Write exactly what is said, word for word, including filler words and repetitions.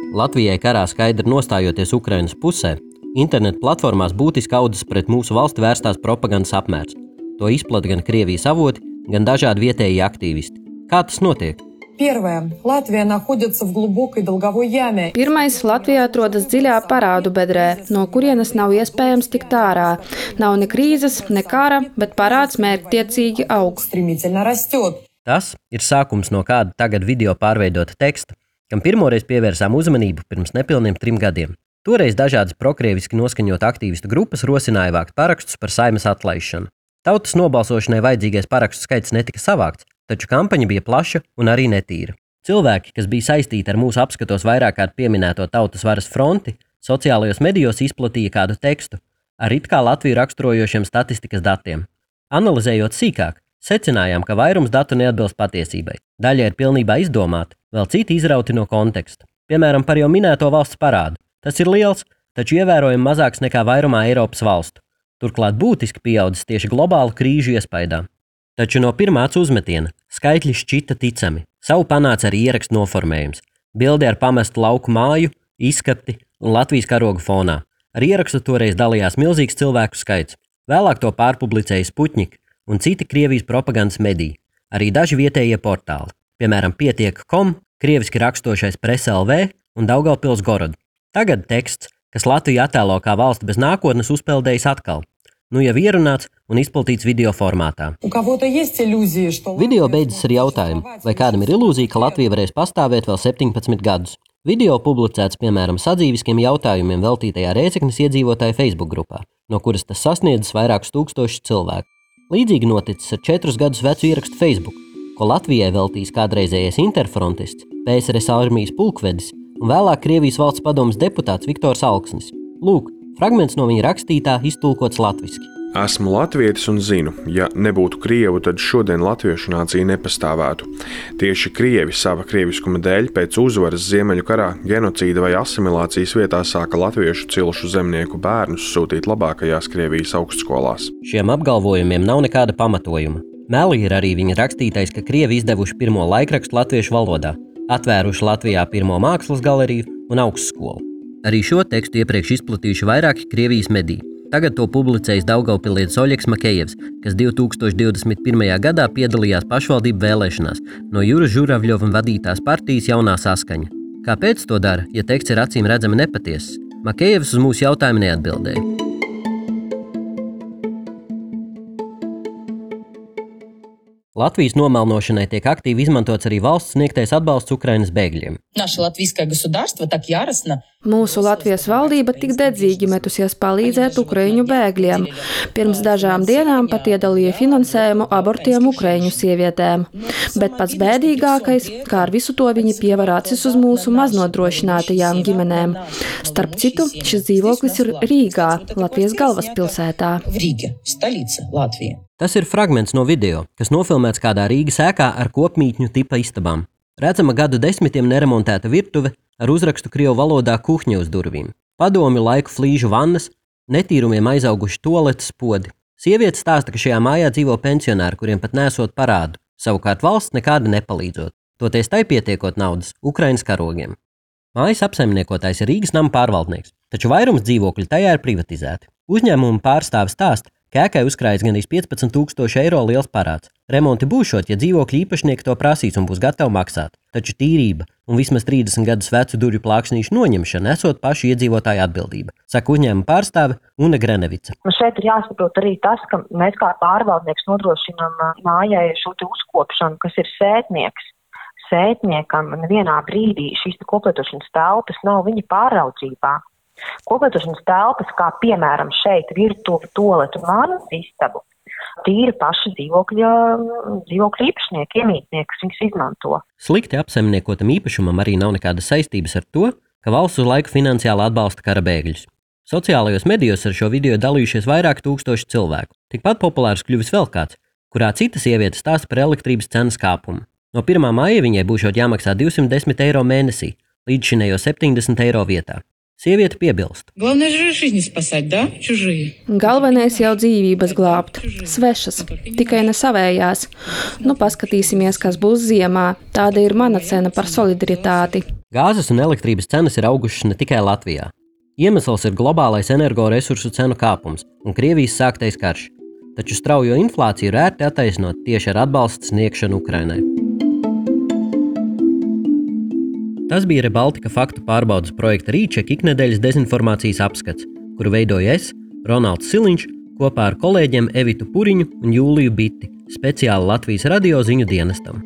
Latvijai karā skaidri nostājoties Ukrainas pusē, internetu platformās būtiski audzis pret mūsu valsti vērstās propagandas apmērs. To izplata gan Krievijas avoti, gan dažādi vietējie aktīvisti. Kā tas notiek? Первое. Латвия находится в глубокой долговой яме. Pirmais, Latvija atrodas dziļā parādu bedrē, no kurienes nav iespējams tikt ārā. Nav ne krīzes, ne kara, bet parāds mērķtiecīgi aug. Стремительно растет. Tas ir sākums no kāda tagad video pārveidota teksta, kam pirmoreiz pievērsām uzmanību pirms nepilniem trim gadiem. Toreiz dažādas prokrieviski noskaņot aktīvistu grupas rosināja vākt parakstus par Saeimas atlaišanu. Tautas nobalsošanai vajadzīgais parakstu skaits netika savākts, taču kampaņa bija plaša un arī netīra. Cilvēki, kas bija saistīti ar mūsu apskatos vairāk kārt pieminēto Tautas varas fronti, sociālajos medijos izplatīja kādu tekstu ar it kā Latviju raksturojošiem statistikas datiem. Analizējot sīkāk, secinājām, ka vairums datu neatbilst patiesībai. Daļa ir pilnībā izdomāta, vēl citi izrauti no konteksta. Piemēram, par jau minēto valsts parādu. Tas ir liels, taču ievērojami mazāks nekā vairumā Eiropas valstu. Turklāt būtiski pieaudzis tieši globālu krīžu iespaidā. Taču no pirmā acu uzmetiena skaitļi šķita ticami. Savu panāca arī ierakstu noformējums. Bildi ar pamestu lauku māju, izskapti un Latvijas karogu fonā. Ar ierakstu toreiz dalījās milzīgs cilvēku skaits. Vēlāk to pārpublicēja Sputņik un citi Krievijas propagandas mediji. Arī daži vietējie portāli. Piemēram, pietiek punkts com, krieviski rakstošais Presa L V un Daugavpils Gorod. Tagad teksts, kas Latviju attēlo kā valsti bez nākotnes, uzpeldējis atkal. Nu jau ierunāts un izplatīts video formātā. Video beidzas ar jautājumu, vai kādam ir ilūzija, ka Latvija varēs pastāvēt vēl septiņpadsmit gadus. Video publicēts, piemēram, sadzīviskiem jautājumiem veltītajā Rēzeknes iedzīvotāju Facebook grupā, no kuras tas sasniedzis vairākus tūkstošus cilvēku. Līdzīgi noticis ar četrus gadus vecu ierakstu Facebook, ko Latvijai veltīs kādreizējais interfrontists, P S R S armijas pulkvedis un vēlāk Krievijas valsts padomes deputāts Viktors Alksnis. Lūk, fragments no viņa rakstītā iztulkots latviski. Esmu latvietis un zinu, ja nebūtu krievu, tad šodien latviešu nācija nepastāvētu. Tieši krievi sava krieviskuma dēļ pēc uzvaras Ziemeļu karā, genocīda vai asimilācijas vietā sāka latviešu cilšu zemnieku bērnus sūtīt labākajās Krievijas augstskolās. Šiem apgalvojumiem nav nekāda pamatojuma. Meli ir arī viņa rakstītais, ka krievi izdevuši pirmo laikrakstu latviešu valodā, atvēruši Latvijā pirmo mākslas galeriju un augstskolu. Arī šo tekstu iepriekš izplatījuši vairāki Krievijas mediji. Tagad to publicējis daugavpilietis Oļegs Makejevs, kas divi tūkstoši divdesmit pirmajā gadā piedalījās pašvaldību vēlēšanās no Juras Žuravļova vadītās partijas Jaunā saskaņa. Kāpēc to dara, ja teksts ir acīm redzami nepatiesas? Makejevs uz mūsu jautājumu neatbildēja. Latvijas nomelnošanai tiek aktīvi izmantots arī valsts sniegtais atbalsts Ukrainas bēgļiem. Mūsu Latvijas valdība tik dedzīgi metusies palīdzēt ukraiņu bēgļiem. Pirms dažām dienām pat iedalīja finansējumu abortiem ukraiņu sievietēm. Bet pats bēdīgākais, kā ar visu to viņi pievar acis uz mūsu maznodrošinātajām ģimenēm. Starp citu, šis dzīvoklis ir Rīgā, Latvijas galvaspilsētā. Tas ir fragments no video, kas nofilmēts kādā Rīgas ēkā ar kopmītņu tipa istabām. Redzama gadu desmitiem neremontēta virtuve ar uzrakstu krievu valodā kuhņa uz durvīm. Padomju laiku flīžu vannas, netīrumiem aizauguši toaletes podi. Sieviete stāsta, ka šajā mājā dzīvo pensionāri, kuriem pat nesot parādu, savukārt valsts nekāda nepalīdzot. Toties tai pietiekot naudas Ukrainas karogiem. Mājas apsaimniekotājs ir Rīgas nama pārvaldnieks, taču vairums dzīvokļu tajā ir privatizēti. Uzņēmuma pārstāvis stāsta, ka ēkai uzkrājas gandrīz piecpadsmit tūkstoši eiro liels parāds. Remonti būšot, ja dzīvokļu īpašnieki to prasīs un būs gatavi maksāt. Taču tīrība un vismaz trīsdesmit gadus vecu durvju plāksnīšu noņemšana esot pašu iedzīvotāju atbildība, saka uzņēmuma pārstāve Una Grenevica. Šeit ir jāsaprot arī tas, ka mēs kā pārvaldnieks nodrošinām mājai šo te uzkopšanu, kas ir sētnieks. Sētniekam nevienā brīdī šīs koplietošanas telpas nav viņa pāraudzībā. Koplietošanas telpas, kā piemēram šeit virtuve, toaletu un vānas istabu, tīri paši dzīvokļa, dzīvokļa īpašnieki, iemītnieki, kas viņus izmanto. Slikti apsaimniekotam īpašumam arī nav nekādas saistības ar to, ka valsts uz laiku finansiāli atbalsta kara bēgļus. Sociālajos medijos ar šo video dalījušies vairāk tūkstoši cilvēku. Tikpat populārs kļuvis vēl kāds, kurā cita sieviete stāsta par elektrības cenas kāpumu. No pirmā māja viņai būšot jāmaksā divsimt desmit eiro mēnesī, līdz šinējo septiņdesmit eiro vietā. Sieviete piebilst. Главное же жизни спасать, да? Чужие. Galvenais jau dzīvības glābt. Svešas, tikai ne savējās. Nu, paskatīsimies, kas būs ziemā. Tāda ir mana cena par solidaritāti. Gāzes un elektrības cenas ir augušas ne tikai Latvijā. Iemesls ir globālais energoresursu cenu kāpums un Krievijas sāktais karš. Taču straujo inflāciju ir ērti attaisnot tieši ar atbalsta sniegšanu Ukrainai. Tas bija Rebaltika faktu pārbaudes projekta Rīček iknedēļas dezinformācijas apskats, kuru veidoju es, Ronalds Siliņš, kopā ar kolēģiem Evitu Puriņu un Jūliju Biti, speciāli Latvijas radio ziņu dienestam.